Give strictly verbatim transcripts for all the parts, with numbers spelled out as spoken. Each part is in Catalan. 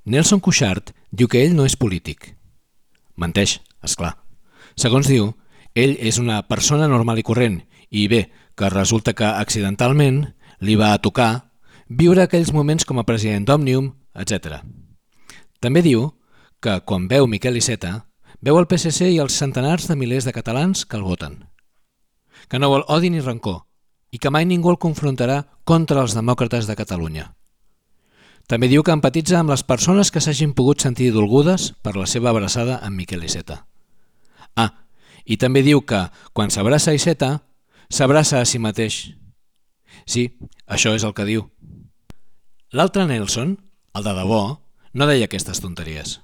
Nelson Cuixart diu que ell no és polític. Menteix, és clar. Segons diu, ell és una persona normal i corrent i bé, que resulta que accidentalment li va tocar viure aquells moments com a president d'Òmnium, etcètera. També diu que quan veu Miquel Iceta, veu el P S C i els centenars de milers de catalans que el voten. Que no vol odi ni rancor i que mai ningú el confrontarà contra els demòcrates de Catalunya. També diu que empatitza amb les persones que s'hagin pogut sentir dolgudes per la seva abraçada amb Miquel Iceta. Ah, i també diu que quan s'abraça a Iceta, s'abraça a si mateix. Sí, això és el que diu. L'altre Nelson, el de debò, no deia aquestes tonteries.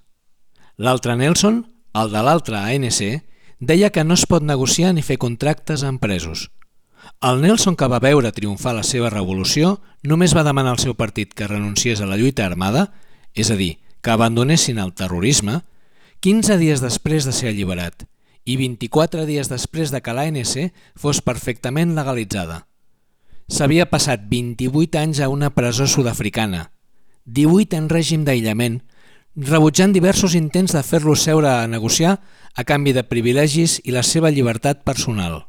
L'altre Nelson, el de l'altre A N C, deia que no es pot negociar ni fer contractes amb presos. El Nelson que va veure triomfar la seva revolució només va demanar al seu partit que renunciés a la lluita armada, és a dir, que abandonessin el terrorisme, quinze dies després de ser alliberat i vint-i-quatre dies després de que l'A N C fos perfectament legalitzada. S'havia passat vint-i-vuit anys a una presó sud-africana, divuit en règim d'aïllament, rebutjant diversos intents de fer-lo seure a negociar a canvi de privilegis i la seva llibertat personal.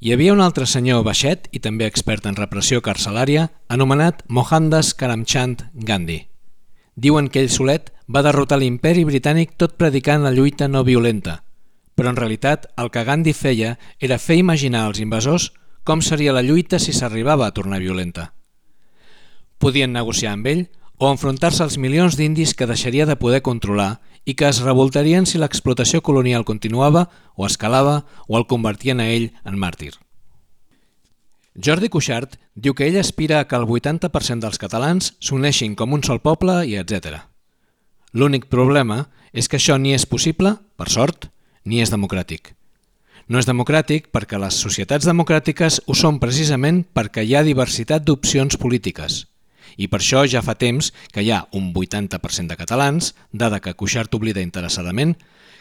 Hi havia un altre senyor baixet i també expert en repressió carcelària anomenat Mohandas Karamchand Gandhi. Diuen que ell solet va derrotar l'imperi britànic tot predicant la lluita no violenta, però en realitat el que Gandhi feia era fer imaginar als invasors com seria la lluita si s'arribava a tornar violenta. Podien negociar amb ell o enfrontar-se als milions d'indis que deixaria de poder controlar i que es revoltarien si l'explotació colonial continuava o escalava o el convertien a ell en màrtir. Jordi Cuixart diu que ell aspira a que el vuitanta per cent dels catalans s'uneixin com un sol poble i etcètera. L'únic problema és que això ni és possible, per sort, ni és democràtic. No és democràtic perquè les societats democràtiques ho són precisament perquè hi ha diversitat d'opcions polítiques. I per això ja fa temps que hi ha un vuitanta per cent de catalans, dada que Cuixart oblida interessadament,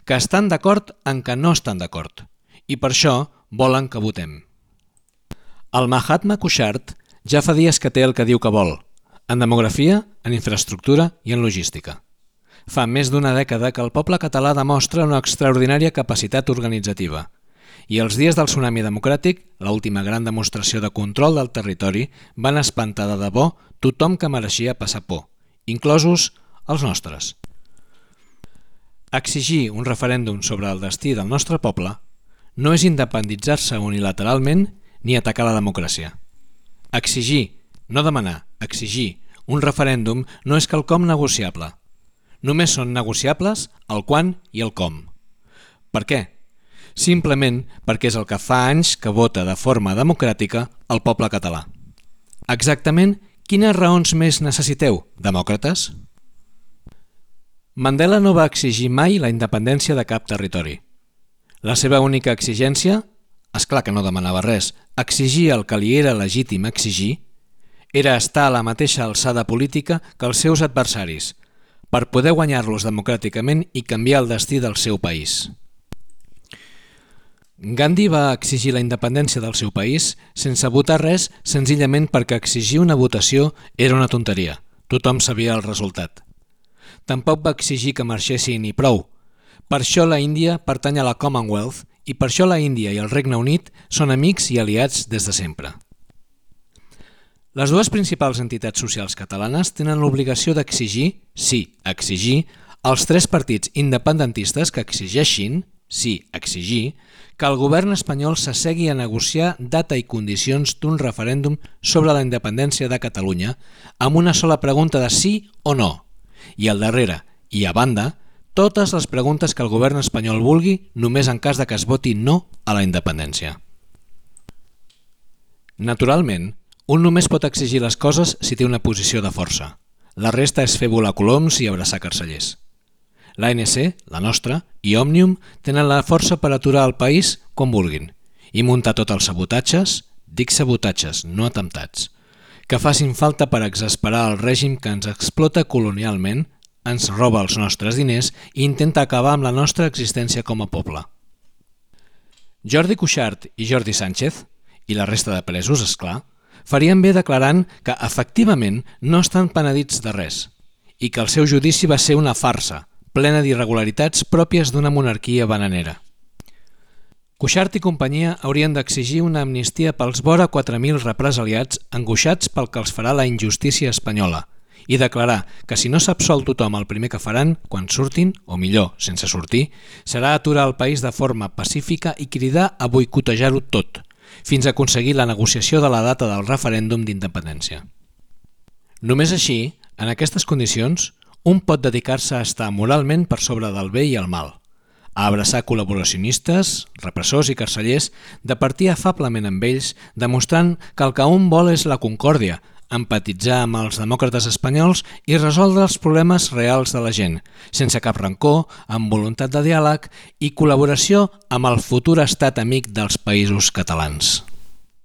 que estan d'acord en que no estan d'acord, i per això volen que votem. El Mahatma Cuixart ja fa dies que té el que diu que vol, en demografia, en infraestructura i en logística. Fa més d'una dècada que el poble català demostra una extraordinària capacitat organitzativa, i els dies del tsunami democràtic, l'última gran demostració de control del territori, van espantar de debò tothom que mereixia passar por, inclosos els nostres. Exigir un referèndum sobre el destí del nostre poble no és independitzar-se unilateralment ni atacar la democràcia. Exigir, no demanar, exigir un referèndum no és quelcom negociable. Només són negociables el quan i el com. Per què? Simplement perquè és el que fa anys que vota de forma democràtica el poble català. Exactament quines raons més necessiteu, demòcrates? Mandela no va exigir mai la independència de cap territori. La seva única exigència, és clar que no demanava res, exigir el que li era legítim exigir, era estar a la mateixa alçada política que els seus adversaris, per poder guanyar-los democràticament i canviar el destí del seu país. Gandhi va exigir la independència del seu país sense votar res senzillament perquè exigir una votació era una tonteria. Tothom sabia el resultat. Tampoc va exigir que marxessin i prou. Per això la Índia pertany a la Commonwealth i per això la Índia i el Regne Unit són amics i aliats des de sempre. Les dues principals entitats socials catalanes tenen l'obligació d'exigir, sí, exigir, als tres partits independentistes que exigeixin, sí, exigir, que el govern espanyol s'assegui a negociar data i condicions d'un referèndum sobre la independència de Catalunya amb una sola pregunta de sí o no, i al darrere, i a banda, totes les preguntes que el govern espanyol vulgui només en cas de que es voti no a la independència. Naturalment, un només pot exigir les coses si té una posició de força. La resta és fer volar coloms i abraçar carcellers. L'A N C, la nostra, i Òmnium tenen la força per aturar el país quan vulguin i muntar tots els sabotatges, dic sabotatges, no atemptats, que facin falta per exasperar el règim que ens explota colonialment, ens roba els nostres diners i intenta acabar amb la nostra existència com a poble. Jordi Cuixart i Jordi Sánchez, i la resta de presos, és clar, farien bé declarant que efectivament no estan penedits de res i que el seu judici va ser una farsa, plena d'irregularitats pròpies d'una monarquia bananera. Cuixart i companyia haurien d'exigir una amnistia pels vora quatre mil represaliats angoixats pel que els farà la injustícia espanyola i declarar que si no s'absol tothom el primer que faran, quan surtin, o millor, sense sortir, serà aturar el país de forma pacífica i cridar a boicotejar-ho tot, fins a aconseguir la negociació de la data del referèndum d'independència. Només així, en aquestes condicions, un pot dedicar-se a estar moralment per sobre del bé i el mal, a abraçar col·laboracionistes, repressors i carcellers, de partir afablement amb ells, demostrant que el que un vol és la concòrdia, empatitzar amb els demòcrates espanyols i resoldre els problemes reals de la gent, sense cap rancor, amb voluntat de diàleg i col·laboració amb el futur estat amic dels països catalans.